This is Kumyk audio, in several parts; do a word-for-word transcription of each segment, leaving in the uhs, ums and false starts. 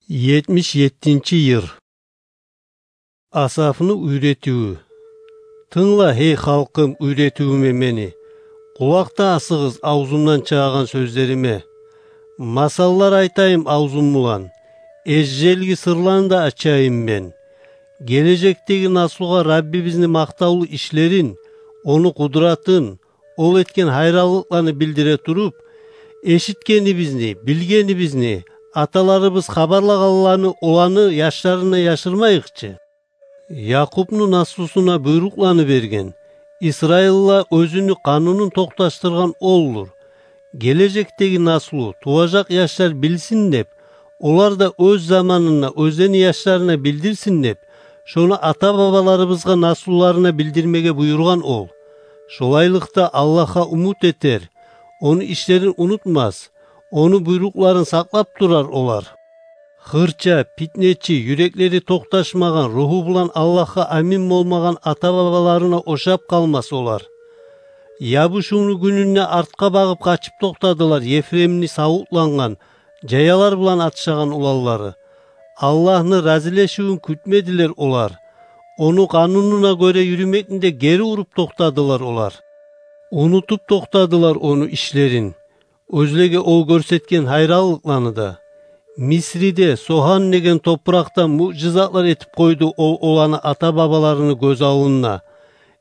Етмиш еттинчи йыр. Асафны уьйретивю. Тынгла, гьей халкъым, уьйретивюме мени. Къулакъ да асыгъыз авзумдан чыгъагъан сёзлериме. Масаллар айтайым авзум булан, эжжелги сырланы да ачайым мен. Гележекдеги наслугъа Раббибизни макътавлу ишлерин, ону къудратын, ол этген гьайранлыкъланы билдире туруп, эшитгенибизни, билгенибизни, аталарыбыз хабарлагъанланы оланы яшларына яшырмайыкъ чы. Якъубну наслусуна буйрукъланы берген, Исраилгъа оьзюню къанунун токъташдыргъан олдур. Гележекдеги наслу, туважакъ яшлар билсин деп, олар да оьз заманында оьзлени яшларына билдирсин деп, шону ата-бабаларыбызгъа наслуларына билдирмеге буюргъан ол. Шолайлыкъда Аллагьгъа умут этер, ону ишлерин унутмас, ону буйрукъларын сакълап турар олар. Хырча, питнечи, юреклери токъташмагъан, руху булан Аллагьгъа амин болмагъан ата-бабаларына ошап къалмас олар. Ябушувну гюнюнде артгъа багъып къачып токътадылар Ефремни савутлангъан, жаялар булан атышагъан уланлары. Аллагьны разилешивюн кютмедилер олар. Ону къанунуна гёре юрюмекни де гери уруп токътадылар олар. Унутуп токътадылар ону ишлерин, оьзлеге ол гёрсетген гьайранлыкъланы да. Мисриде, Согьан деген топуракъда муъжизатлар этип къойду ол оланы ата-бабаларыны гёз аллында.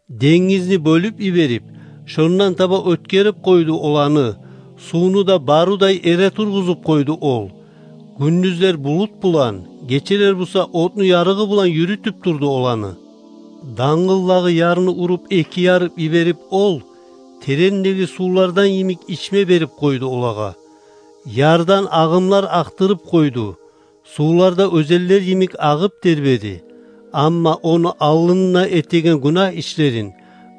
Денгизни бёлюп йиберип, шондан таба оьтгерип къойду оланы, сувну да барудай эретургъузуп къойду ол. Гюндюзлер булут булан, гечелер буса отну ярыгъы булан юрютюп турду оланы. Дангылдагъы ярны уруп эки ярып йиберип ол, терендеги сувлардан йимик ичме берип къойду олагъа. Ярдан агъымлар акътырып къойду. Сувлар да оьзенлер йимик агъып тербеди. Амма ону аллында этеген гюнагь ишлерин,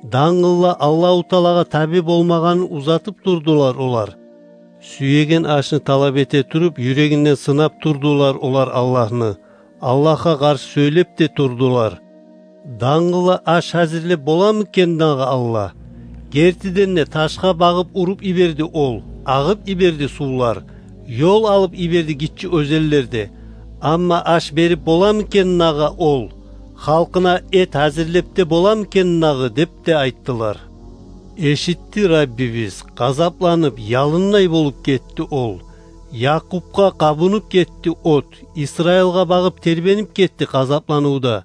дангылда Аллагьу Таалагъа таби болмагъанын узатып турдулар олар. Сюеген ашны талап эте туруп, юрегинден сынап турдулар олар Аллагьны. Аллагьгъа къаршы сёйлеп де турдулар. Дангылда аш гьазирлеп боламы экен дагъы Аллагь? Гертиден де, ташгъа багъып уруп йиберди ол, агъып йиберди сувлар, ёл алып йиберди гиччи оьзенлер де. Амма аш берип боламы экен дагъы ол? Халкъына эт гьазирлеп де боламы экен дагъы? – деп де айттылар. Эшитди Раббибиз, къазапланып, ялындай болуп гетди ол. Якъупгъа къабунуп гетди от, Исраилгъа багъып тербенип гетди къазапланывда.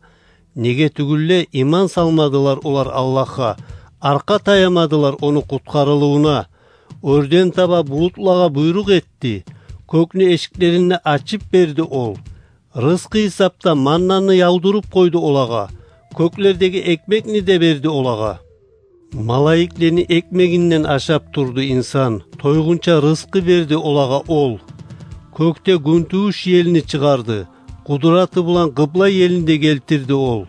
Неге тюгюл де, иман салмадылар олар Аллагьгъа, аркъа таямадылар ону къутгъарылывуна. Оьрден таба булутлагъа буйрукъ этди, кёкню эшиклерин де ачып берди ол. Рызкъы гьисапда маннаны явдуруп къойду олагъа, кёклердеги экмекни де берди олагъа. Малайиклени экмегинден ашап турду инсан, тойгъунча рызкъы берди олагъа ол. Кёкде гюнтувуш елни чыгъарды, къудраты булан къыбла елни де гелтирди ол.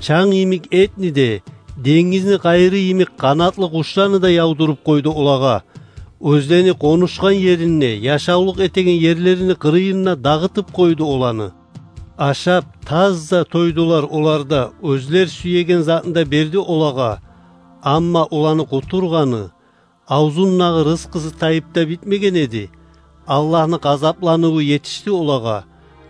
Чанг йимик этни де, денгизни къайыры йимик къанатлы къушланы да явдуруп къойду олагъа. Оьзлени къонушгъан ерин де, яшавлукъ этеген ерлерини къырыйын да дагъытып къойду оланы. Ашап, таза тойдулар олар да, оьзлер сюеген затны да берди олагъа. Амма оланы къутургъаны, авзундагъы рызкъысы тайып да битмеген эди. Аллагьны къазапланыву етишди олагъа,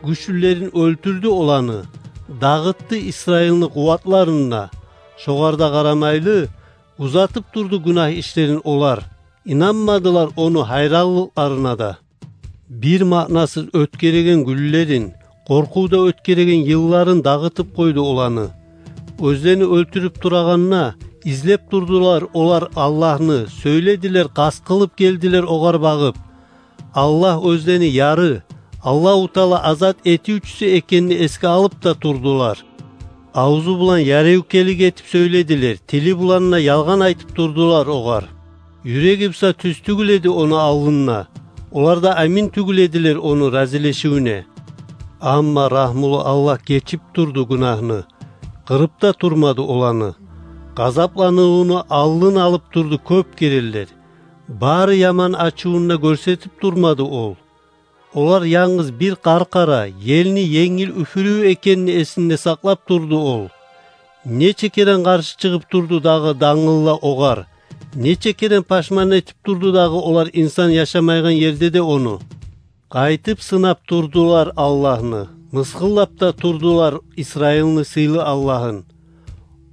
гючлюлерин оьлтюрдю оланы, дагъытды Исраилни къуватларын да. Шогъар да къарамайлы, узатып турду гюнагь ишлерин олар, инанмадылар ону гьайранлыкъларына да. Бир маънасыз оьтгереген гюнлерин, къоркъувда оьтгереген йылларын дагъытып къойду оланы. Оьзлени оьлтюрюп турагъанда, излеп турдулар олар Аллагьны, сёйледилер, къаст къылып гелдилер огъар багъып. Аллагь оьзлени яры, Аллагьу Таала азат этивчюсю экенни эсге алып да турдулар. Авзу булан яревкелик этип сёйледилер, тили булан да ялгъан айтып турдулар огъар. Юреги буса тюз тюгюл эди ону алдында, олар да амин тюгюл эдилер ону разилешивюне. Амма рагьмулу Аллагь гечип турду гюнагьны, къырып да турмады оланы. Къазапланывуну алдын алып турду кёп керенлер. Бары яман ачувун да гёрсетип турмады ол. Олар янгыз бир къаркъара, елни енгил уьфюрювю экенни эсинде сакълап турду ол. Нече керен къаршы чыгъып турду дагъы дангылла огъар, нече керен пашман этип турду дагъы олар инсан яшамайгъан ерде де ону. Къайтып сынап турдулар Аллагьны, мысгъыллап да турдулар Исраилни сыйлы Аллагьын.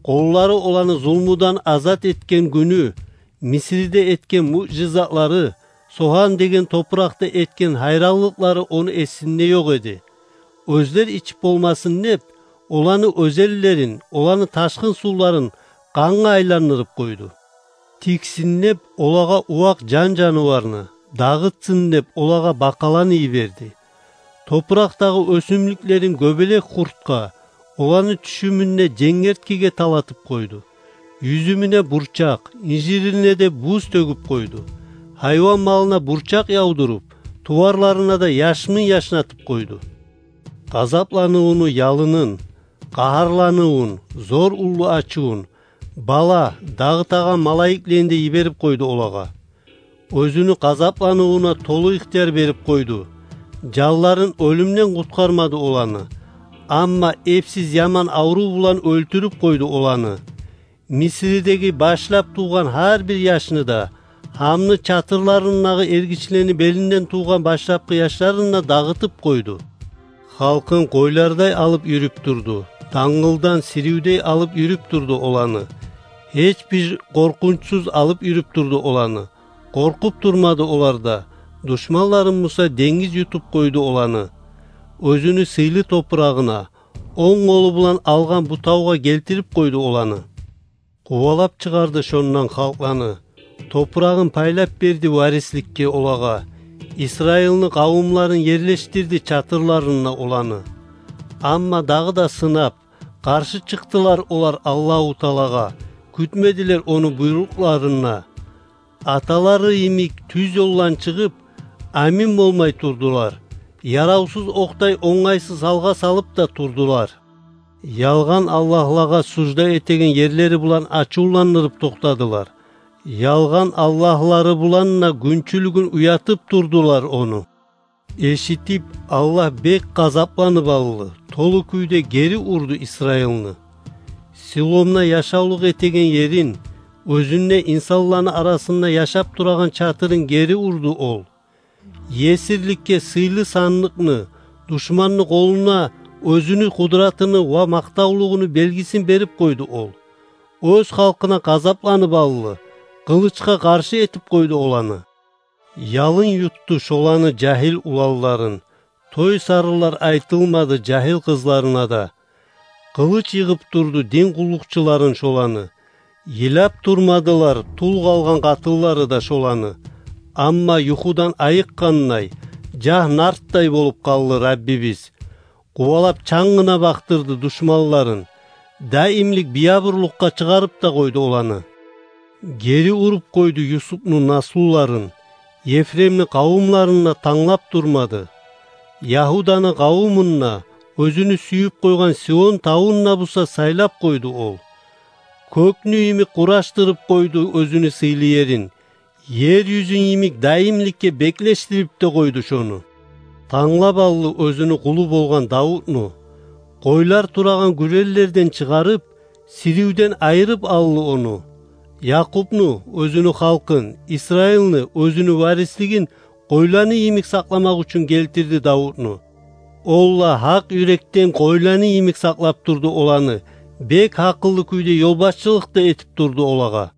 Къуллары оланы зулмудан азат этген гюню, Мисриде этген муъжизатлары, Согьан деген топуракъда этген гьайранлыкълары ону эсинде ёкъ эди. Оьзлер ичип болмасын деп, оланы оьзенлерин, оланы ташгъын сувларын къангъа айландырып къойду. Тиксин деп, олагъа увакъ жан-жаныварны, дагъытсын деп, олагъа бакъаланы йиберди. Топуракъдагъы оьсюмлюклерин гёбелек къуртгъа, оланы тюшюмюнде женгерткиге талатып къойду. Юзюмюне бурчакъ, инжирине де буз тёгюп къойду. Гьайван малына бурчакъ явдуруп, туварларына да яшмин яшнатып къойду. Къазапланывуну ялынын, къагьарланывун, зор уллу ачувун, бала, дагъытагъан малайиклени де йиберип къойду олагъа. Оьзюню къазапланывуна толу ихтияр берип къойду. Жанларын оьлюмден къутгъармады оланы, амма эпсиз яман аврув булан оьлтюрюп къойду оланы. Мисридеги башлап тувгъан гьар бир яшны да, Гьамны чатырларындагъы эргичлени белинден тувгъан башлапгъы яшларын да дагъытып къойду. Халкъын къойлардай алып юрюп турду, дангылдан сиривдей алып юрюп турду оланы. Гьеч бир къоркъунчсуз алып юрюп турду оланы. Къоркъуп турмады олар да, душманларын буса денгиз ютуп къойду оланы. Оьзюню сыйлы топурагъына, онг къолу булан алгъан бу тавгъа гелтирип къойду оланы. Къувалап чыгъарды шондан халкъланы, топурагъын пайлап берди варисликге олагъа, Исраилни къавумларын ерлешдирди чатырларына оланы. Амма дагъы да сынап, къаршы чыкъдылар олар Аллагьу Таалагъа, кютмедилер ону буйрукъларына. Аталары йимик тюз ёлдан чыгъып, амин болмай турдулар. Яравсуз окъдай онгайсыз гьалгъа салып да турдулар. Ялгъан аллагьлагъа сужда этеген ерлери булан ачувландырып токътадылар. Ялгъан аллагьлары булан да гюнчюлюгюн уятып турдулар ону. Эшитип, Аллагь бек къазапланып алды, толу кюйде гери урду Исраилни. Силомда яшавлукъ этеген ерин, оьзюнде инсанланы арасында яшап турагъан чатырын гери урду ол. Есирликге сыйлы сандыкъны, душманны къолуна оьзюню къудратыны ва макътавлугъуну белгисин берип къойду ол. Оьз халкъына къазапланып алды, къылычгъа къаршы этип къойду оланы. Ялын ютду шоланы жагьил уланларын, той-сарынлар айтылмады жагьил къызларына да. Къылыч йыгъып турду дин къуллукъчуларын шоланы. Йылап турмадылар тул къалгъан къатынлары да шоланы. Амма юхудан айыкъгъандай, жагь нартдай болуп къалды Раббибиз. Къувалап чангына бакъдырды душманларын. Даимлик биябурлукъгъа чыгъарып да къойду оланы. Гери уруп къойду Юсупну наслуларын, Ефремни къавумларын да танглап турмады. Ягьуданы къавумун да, оьзюню сююп къойгъан Сион тавун да буса сайлап къойду ол. Кёкню йимик къурашдырып къойду оьзюню сыйлы ерин, ер юзюн йимик даимликге беклешдирип де къойду шону. Танглап алды оьзюню къулу болгъан Давутну. Къойлар турагъан гюреллерден чыгъарып, сиривден айырып алды ону. Якъубну, оьзюню халкъын, Исраилни, оьзюню варислигин къойланы йимик сакъламакъ учун гелтирди Давутну. Ол да гьакъ юрекден къойланы йимик сакълап турду оланы, бек гьакъыллы кюйде ёлбашчылыкъ да этип турду олагъа.